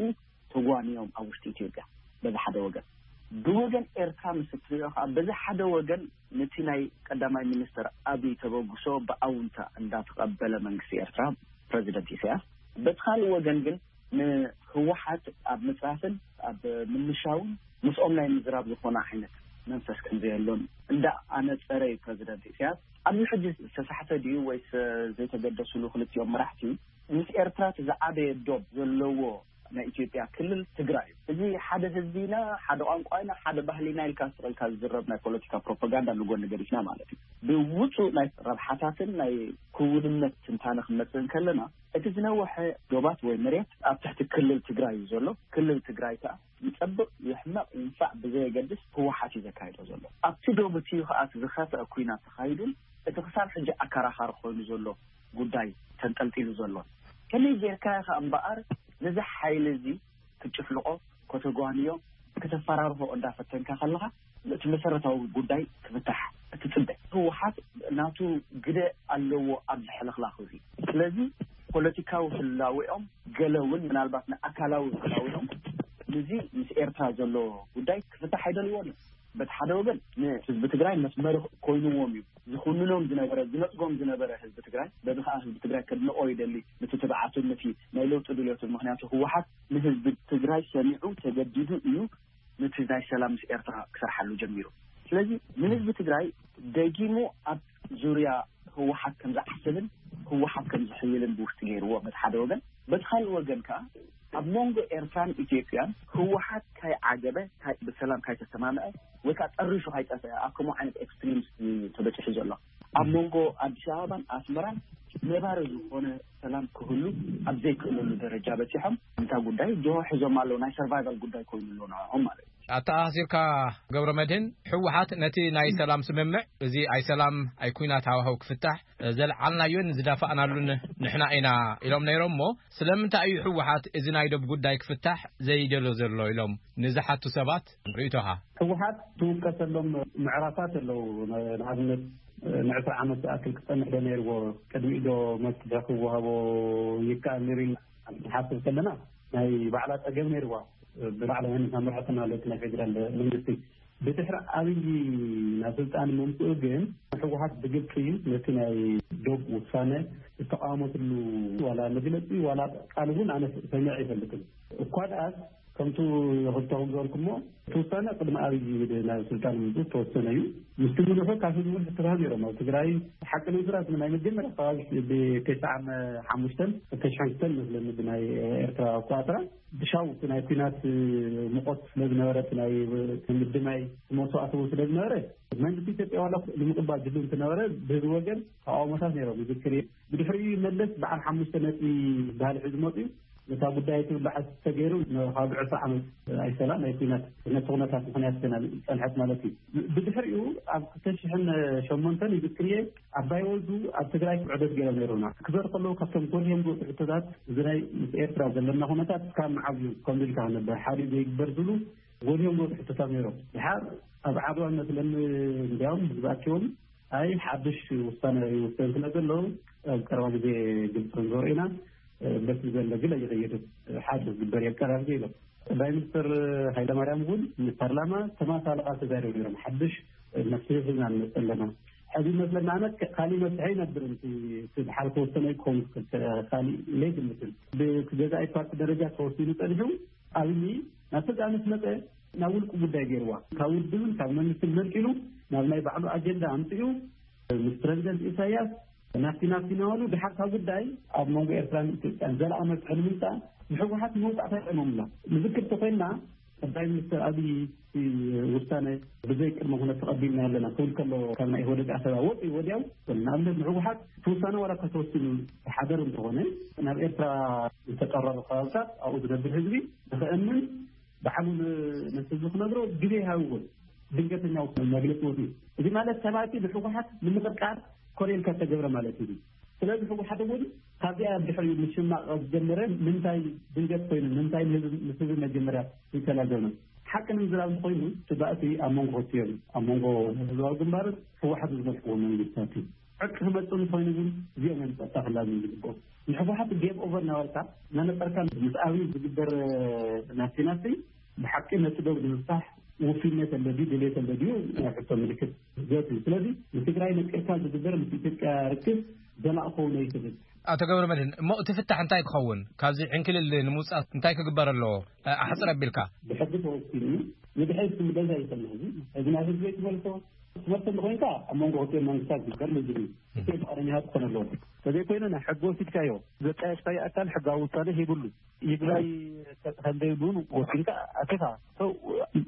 ተጓንዮም ኣብ ውሽጢ ኢትዮጵያ በዚ ሓደ ወገን። ብወገን ኤርትራ ምስ እትሪኦ ከዓ፣ በዚ ሓደ ወገን ነቲ ናይ ቀዳማይ ሚኒስተር ኣብይ ተበግሶ ብኣውንታ እንዳተቐበለ መንግስቲ ኤርትራ፣ ፕረዚደንት ኢሳያስ፣ በቲ ካልእ ወገን ግን ንህወሓት ኣብ ምጽራፍን ኣብ ምምሻውን ምስኦም ናይ ምዝራብ ዝኾነ ዓይነት መንፈስ ከም ዘየሎን እንዳ ኣነጸረ እዩ ፕረዚደንት ኢሳያስ። ኣብዚ ሕጂ ዝተሳሕተ ድዩ ወይስ ዘይተገደስሉ ክልቲኦም መራሕቲ? ምስ ኤርትራ እቲ ዝዓበየ ዶብ ዘለዎ ናይ ኢትዮጵያ ክልል ትግራይ እዩ። እዚ ሓደ ህዝቢ ኢና፣ ሓደ ቋንቋ ኢና፣ ሓደ ባህሊ ኢና ኢልካ ስቕ ኢልካ ዝዝረብ ናይ ፖለቲካ ፕሮፓጋንዳ ንጎኒ ገዲፍና ማለት እዩ። ብውጹእ ናይ ረብሓታትን ናይ ክውንነት ትንታነ ክንመጽእ እንከለና፣ እቲ ዝነውሐ ዶባት ወይ መሬት ኣብ ትሕቲ ክልል ትግራይ እዩ ዘሎ። ክልል ትግራይ ከኣ ይጸብቕ፣ ይሕመቕ፣ ይንፋዕ ብዘየገድስ ህወሓት እዩ ዘካይዶ ዘሎ። ኣብቲ ዶብ እቲ እዩ ከኣ እቲ ዝኸፍአ ኲናት ተኻይዱን እቲ ክሳብ ሕጂ ኣከራኻሪ ኮይኑ ዘሎ ጉዳይ ተንጠልጢሉ ዘሎ። ከመይ ጌርካ ኢኻ እምበኣር ነዚ ሓይሊ እዚ ክትጭፍልቖ፣ ከተጓንዮ፣ ከተፈራርሆ እንዳፈተንካ ከለኻ፣ እቲ መሰረታዊ ጉዳይ ክፍታሕ እትጽበ? ህወሓት ናቱ ግደ ኣለዎ ኣብዚ ሕልኽላኽ እዚ። ስለዚ ፖለቲካዊ ህላዌኦም፣ ገለ እውን ምናልባት ንኣካላዊ ህላዌኦም እዚ ምስ ኤርትራ ዘሎ ጉዳይ ክፍታሕ ኣይደልዎን እዮም። በቲ ሓደ ወገን ንህዝቢ ትግራይ መስመር ኮይንዎም እዩ ዝኹንኖም ዝነበረ፣ ዝነጽጎም ዝነበረ ህዝቢ ትግራይ። በዚ ከዓ ህዝቢ ትግራይ ከድንቆ ይደሊ፣ ነቲ ትብዓቱን ነቲ ናይ ለውጢ ድልዮትን። ምክንያቱ ህወሓት ንህዝቢ ትግራይ ሰሚዑ ተገዲዱ እዩ ነቲ ናይ ሰላም ምስ ኤርትራ ክሰርሓሉ ጀሚሩ። ስለዚ ንህዝቢ ትግራይ ደጊሙ ኣብ ዙርያ ህወሓት ከም ዝዓስልን ህወሓት ከም ዝሕይልን ብውሽጢ ገይርዎ በቲ ሓደ ወገን። በቲ ካልእ ወገን ከዓ ኣብ መንጎ ኤርትራን ኢትዮጵያን ህወሓት ካይ ዓገበ፣ ካይ ብሰላም ካይ ተሰማምዐ፣ ወይ ከዓ ጠሪሹ ካይ ጠፍአ፣ ኣብ ከምኡ ዓይነት ኤክስትሪምስ እዩ ተበፂሑ ዘሎ። ኣብ መንጎ ኣዲስ ኣበባን ኣስመራን ነባሪ ዝኾነ ሰላም ክህሉ ኣብ ዘይክእለሉ ደረጃ በፂሖም፣ እንታ ጉዳይ ጅሆ ሒዞም ኣለዉ። ናይ ሰርቫይቫል ጉዳይ ኮይኑ ኣሎ ንዕኦም ማለት እዩ። ኣተኣሳሲርካ፣ ገብረ መድህን፣ ህወሓት ነቲ ናይ ሰላም ስምምዕ፣ እዚ ኣይ ሰላም ኣይ ኩናት ሃዋህው ክፍታሕ ዘልዓልናዮን ዝዳፋእናሉን ንሕና ኢና ኢሎም ነይሮም። እሞ ስለምንታይ እዩ ህወሓት እዚ ናይ ዶብ ጉዳይ ክፍታሕ ዘይደሎ ዘሎ ኢሎም ንዝሓቱ ሰባት ርእይቶኻ? ህወሓት ትውቀሰሎም ምዕራፋት ኣለዉ። ንኣብነት ንዕስራ ዓመት ዝኣክል ክጸንሕ ዶ ነይርዎ? ቅድሚኡ ዶ መፍትሒ ክወሃቦ ይከኣል ነይሩ ኢልና ንሓስብ ከለና፣ ናይ ባዕላ ጸገም ነይርዋ። ብባዕላ መን መምርሕቲ ማለት ናይ ፌደራል መንግስቲ። ብድሕሪ ኣብይ ናብ ስልጣን ምምፅኡ ግን ህወሓት ብግልፂ ነቲ ናይ ዶብ ውሳነ ዝተቃወመትሉ ዋላ መግለፂ ዋላ ቃል እውን ኣነ ሰሚዐ ኣይፈልጥን። እኳ ደኣስ ከምቱ ክልተኹም ዝበልኩሞ እቲ ውሳነ ቅድሚ ኣብይ ናብ ስልጣን ምምፅኡ ዝተወሰነ እዩ። ምስቲ ምልሑ ካብ ህዝቢ እውን ሕቶታት ነይሮም። ኣብ ትግራይ ሓቂ ንምዝራብ ናይ መጀመርያ ከባቢ ብተስዓ ሓሙሽተን ክልተ ሽሕን ክልተን መስለኒ ብናይ ኤርትራ ኣቆፃፅራ ብሻው እቲ ናይ ኩናት ሙቐት ስለ ዝነበረ፣ እቲ ናይ ምድማይ መስዋእቲ እውን ስለ ዝነበረ፣ መንግስቲ ኢትዮጵያ ዋላ ንምቕባል ድሉ እንትነበረ፣ ብህዝቢ ወገን ተቃውሞታት ነይሮም። ይዝክር እየ። ብድሕሪኡ መለስ በዓል ሓሙሽተ ነጥቢ ዝበሃል ሒዙ መፅዩ። ነታ ጉዳይ ትብላዕ ተገይሩ ንካብ ዕስራ ዓመት ኣይሰላ ናይ ኩናት ነቲ ኩነታት ምኽንያት ኮይና ዝፀንሐት ማለት እዩ። ብድሕሪኡ ኣብ ክልተ ሽሕን ሸሞንተን ይዝክር እየ፣ ኣባይ ወልዱ ኣብ ትግራይ ዑደት ገይሮም ነይሮምና። ክዘር ከለዉ ካብቶም ጎልዮም ዝወፁ ሕቶታት እዚ ናይ ምስ ኤርትራ ዘለና ኩነታት እስካብ መዓዝ እዩ ከምዚ ኢልካ ክነበር ሓዲኡ ዘይግበር ዝብሉ ጎልዮም ዝወፁ ሕቶታት ነይሮም። ድሓር ኣብ ዓድዋ መስለኒ እንዲያውም ህዝቢ ኣኪቦም ኣይ ሓድሽ ውሳነ ይውሰን ስለ ዘሎ ኣብ ቀረባ ግዜ ግልፂ ክንገብሮ ኢና። በቲ ዘሎ ግን ኣይኸየድን፣ ሓድሽ ዝግበር እዩ ኣብ ቀረባ ግዜ ኢሎም። ቀዳማይ ሚኒስትር ሃይለማርያም እውን ንፓርላማ ተመሳሳሊ ቃል ተዛሪቦም ነይሮም። ሓድሽ መፍትሒ ሒዝና ንመፅእ ኣለና። ሕዚ ይመስለና ኣነ ካሊእ መፍትሒ ኣይነብርን። እቲ እቲ ድሓር ዝተወሰነ ክኸውን ይኽእል፣ ካሊእ ኢለ ይግምትን። ብገዛኢ ፓርቲ ደረጃ ተወሲኑ ፀኒሑ ኣብይ ናብቲ ቃልሲ መፀ፣ ናብ ውልቂ ጉዳይ ገይርዋ። ካብ ውድብን ካብ መንግስትን መንጢሉ ናብ ናይ ባዕሉ ኣጀንዳ ኣምፂኡ ምስ ፕረዚደንት ኢሳያስ ናፍቲ ናፍቲ እናበሉ ድሓር ካብ ጉዳይ ኣብ መንጎ ኤርትራን ኢትዮጵያን ዘላቒ መፍትሒ ንምምፃእ ንህወሓት መውፃእታ ይጠልሞምላ። ንዝክር ተኮይንና ቀዳማይ ሚኒስትር ኣብይ እቲ ውሳነ ብዘይ ቅድመ ኩነት ተቐቢልና ኣለና ክብል ከሎ ካብ ናይ ኢህወደግ ኣሰባ ወፂኡ ወዲያው ንኣብነት ንህወሓት እቲ ውሳነ ዋላ እኳ ተወሲኑ ዝሓደር እንተኾነ ናብ ኤርትራ ዝተጠረሩ ከባብታት ኣብኡ ዝነብር ህዝቢ ንኽእምን ባዕሉ ን- ነቲ ህዝቢ ክነግሮ ግዜ ይሃብዎ። ድንገተኛ ውሳነ መግለፂ ወፂኡ። እዚ ማለት ሰባት ንህወሓት ንምቕርቃር ኮነ ኢልካ ዝተገብረ ማለት እዩ። ስለዚ ህወሓት እውን ካብዚኣ ድሕሪኡ ምሽማቕ ዝጀመረ ምንታይ ድንገት ኮይኑ ምንታይ ንህዝቢ ምስ ህዝቢ መጀመርያ ይተላዘብና ሓቂ ንምዝራብ እንተኮይኑ እቲ ባእሲ ኣብ መንጎ ክልቲኦም እዩ። ኣብ መንጎ ህዝባዊ ግንባርን ህወሓትን ዝመርሕዎ መንግስታት እዩ። ዕርቂ ክመፅእ እንተኮይኑ ግን እዚኦም እዮም ፀጥታ ክላዘዩ ዝግብኦም። ንህወሓት ጌም ኦቨር እናበልካ እናነፀርካ ምስ ኣብይ ዝግበር ናፍቲ ናፍቲ ብሓቂ ነቲ ዶብ ንምፍታሕ ውፍይነት ኣሎ ድዩ ድሌት ኣሎ ድዩ ናይ ሕቶ ምልክት ዘት እዩ። ስለዚ ንትግራይ ነፂርካ ዝግበር ምስ ኢትዮጵያ ርክብ ዘላቂ ክኸውን ኣይክእልን። ኣቶ ገብረ መድህን፣ እሞ እቲ ፍታሕ እንታይ ክኸውን? ካብዚ ዕንክልል ንምውፃእ እንታይ ክግበር ኣለዎ? እ፣ ኣሕፅር ኣቢልካ። ብሕጊ ተወሲኑ እዩ። ንድሕሪት ክምለስ ኣይኽእልን። ሕዚ ሕዚ ናብ ህዝቢ ትመልሶ ትመልሶ እንተኮይንካ ኣብ መንጎ ክልቲኦም መንግስታት ዝግበር ልዝብ እዩ። እቲ ፍቃደኛታት ክኾን ኣለዎ። ተዘይኮይኑ ናይ ሕጊ ወሲድካዮ ዘጣየሽካዮ ኣካል ሕጋዊ ውሳነ ሂብሉ ይግባይ ከ- ከም ዘይብሉ እውን ወሲንካ ኣቲኻ ሰው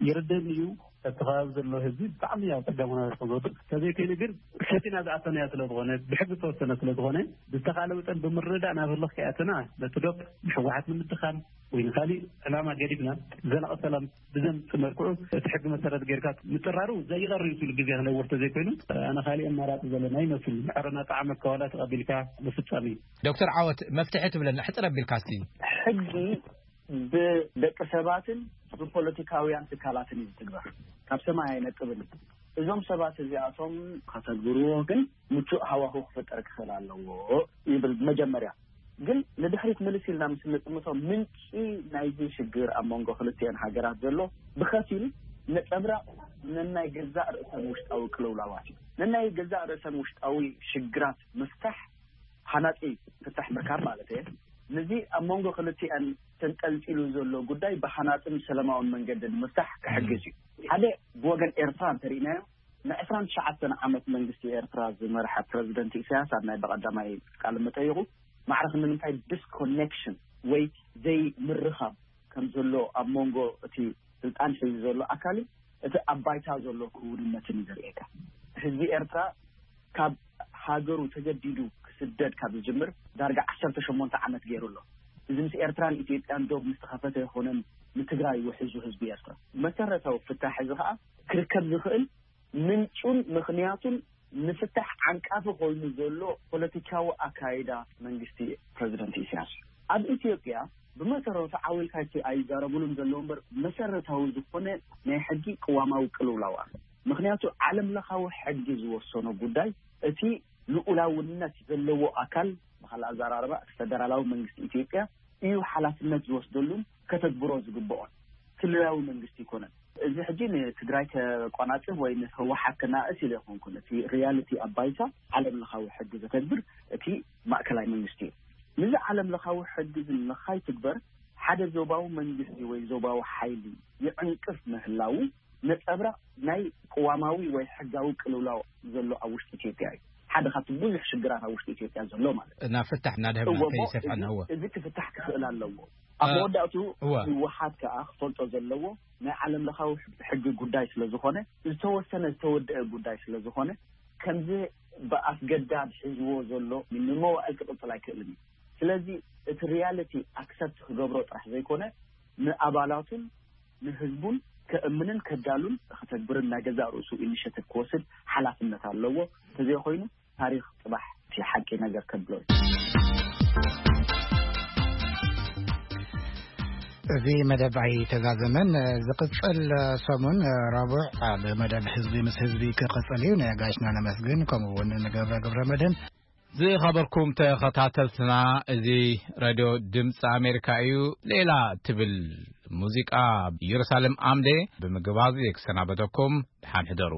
ይርደኒ እዩ። እቲ ከባቢ ዘሎ ህዝቢ ብጣዕሚ ኣብ ጸገም ኩነታት ከም ዝወድቕ ተዘይኮይኑ ግን ሰቲና ዝኣተናዮ ስለ ዝኾነ ብሕጊ ዝተወሰነ ስለ ዝኾነ ብዝተኻለ መጠን ብምርዳእ ናብ ህልኽ ከይኣተና ነቲ ዶብ ንሕወሓት ንምድኻም ወይ ንካሊእ ዕላማ ገዲፍና ዘላቒ ሰላም ብዘምፅእ መልክዑ እቲ ሕጊ መሰረት ጌርካ ምጥራሩ ዘይቐሪ እዩ። ስሉ ግዜ ክነውር ተዘይኮይኑ ኣነ ካሊእ ኣማራፂ ዘለና ይመስል። ዕረና ጣዕመ ከዋላ ተቐቢልካ ምፍፃም እዩ። ዶክተር ዓወት መፍትሒ ትብለና ሕፅር ኣቢልካ እስቲ። ሕጊ ብደቂ ሰባትን ብፖለቲካውያን ትካላትን እዩ ዝትግበር። ካብ ሰማይ ኣይነጥብን። እዞም ሰባት እዚኣቶም ከተግብርዎ ግን ምቹእ ሃዋሁ ክፍጠር ክኽእል ኣለዎ ይብል። መጀመርያ ግን ንድሕሪት ምልስ ኢልና ምስ እንጥምቶ፣ ምንጪ ናይዚ ሽግር ኣብ መንጎ ክልቲኤን ሃገራት ዘሎ ብኸፊል ነጸብራቕ ነናይ ገዛእ ርእሰን ውሽጣዊ ቅልውላዋት እዩ። ነናይ ገዛእ ርእሰን ውሽጣዊ ሽግራት ምፍታሕ፣ ሃናጺ ፍታሕ ምርካብ ማለት እየ። ነዚ ኣብ መንጎ ክልቲኤን ተንጠልጢሉ ዘሎ ጉዳይ ብሃናጽን ሰላማውን መንገዲ ንምፍታሕ ክሕግዝ እዩ። ሓደ ብወገን ኤርትራ እንተሪእናዮ፣ ንዕስራን ትሽዓተን ዓመት መንግስቲ ኤርትራ ዝመርሐ ፕረዚደንት ኢሳያስ ኣብ ናይ ብቐዳማይ ቃለ መጠይቑ፣ ማዕረ ክንዲ ንምንታይ ዲስኮኔክሽን ወይ ዘይምርኻብ ከም ዘሎ ኣብ መንጎ እቲ ስልጣን ሒዙ ዘሎ ኣካልን እቲ ኣብ ባይታ ዘሎ ክውንነትን እዩ ዘርእየካ። ህዝቢ ኤርትራ ካብ ሃገሩ ተገዲዱ ክስደድ ካብ ዝጅምር ዳርጋ ዓሰርተ ሸሞንተ ዓመት ገይሩ ኣሎ። እዚ ምስ ኤርትራን ኢትዮጵያን ዶብ ምስ ተኸፈተ ኣይኮነን ንትግራይ ውሕዙ ህዝቢ ኤርትራ። መሰረታዊ ፍታሕ እዚ ኸኣ ክርከብ ዝኽእል ምንጩን ምኽንያቱን ንፍታሕ ዓንቃፊ ኮይኑ ዘሎ ፖለቲካዊ ኣካይዳ መንግስቲ ፕረዚደንት ኢሳያስ እዩ። ኣብ ኢትዮጵያ ብመሰረቱ ዓው ኢልካ ኣይዛረቡሉን ዘለዉ እምበር፣ መሰረታዊ ዝኾነ ናይ ሕጊ ቅዋማዊ ቅልውላው ኣሎ። ምኽንያቱ ዓለም ለኻዊ ሕጊ ዝወሰኖ ጉዳይ እቲ ልኡላውነት ዘለዎ ኣካል፣ ብኻልእ ኣዘራርባ እቲ ፈደራላዊ መንግስቲ ኢትዮጵያ እዩ ሓላፍነት ዝወስደሉን ከተግብሮ ዝግብኦን። ክልላዊ መንግስቲ ይኮነን። እዚ ሕጂ ንትግራይ ከቆናጽብ ወይ ንህወሓት ከናእስ ኢለ ይኮንኩን። እቲ ሪያሊቲ ኣብ ባይታ ዓለም ለኻዊ ሕጊ ዘተግብር እቲ ማእከላይ መንግስቲ እዩ። ነዚ ዓለም ለኻዊ ሕጊ እዚ ንኸይትግበር ሓደ ዞባዊ መንግስቲ ወይ ዞባዊ ሓይሊ ይዕንቅፍ ምህላዉ ነጸብራቕ ናይ ቅዋማዊ ወይ ሕጋዊ ቅልውላው ዘሎ ኣብ ውሽጢ ኢትዮጵያ እዩ። ሓደ ካብቲ ብዙሕ ሽግራት ኣብ ውሽጢ ኢትዮጵያ ዘሎ ማለት እዩ። ናብ ፍታሕ እናድህብና እወ፣ እሞ ከይሰፍሐና፣ እዚ፣ እወ። እዚ ክፍታሕ ክኽእል ኣለዎ። ኣብ እ፣ መወዳእቱ እወ። ህወሓት ከኣ ክፈልጦ ዘለዎ ናይ ዓለም ለኻዊ ሕጊ ጉዳይ ስለ ዝኾነ፣ ዝተወሰነ ዝተወደአ ጉዳይ ስለ ዝኾነ፣ ከምዚ ብኣስገዳድ ሒዝዎ ዘሎ ንመዋእል ክቕጽል ኣይክእልን እዩ። ስለዚ እቲ ሪያሊቲ ኣክሰፕት ክገብሮ ጥራሕ ዘይኮነ፣ ንኣባላቱን ንህዝቡን ከእምንን ከዳሉን ከተግብርን ናይ ገዛእ ርእሱ ኢኒሼቲቭ ክወስድ ሓላፍነት ኣለዎ። እንተዘይኮይኑ ታሪኽ ጽባሕ እቲ ሓቂ ነገር ከብሎ እዩ። እዚ መደብ ኣይተዛዘመን። ዝቕጽል ሰሙን ረቡዕ ኣብ መደብ ህዝቢ ምስ ህዝቢ ክቕጽል እዩ። ንጋሽና ነመስግን፣ ከምኡ እውን ንገብረ ገብረ መድህን። ዝኸበርኩም ተኸታተልትና፣ እዚ ሬድዮ ድምፂ ኣሜሪካ እዩ። ሌላ ትብል ሙዚቃ ኢየሩሳሌም ኣምዴ ብምግባዝ ክሰናበተኩም፣ ደሓን ሕደሩ።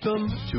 Welcome to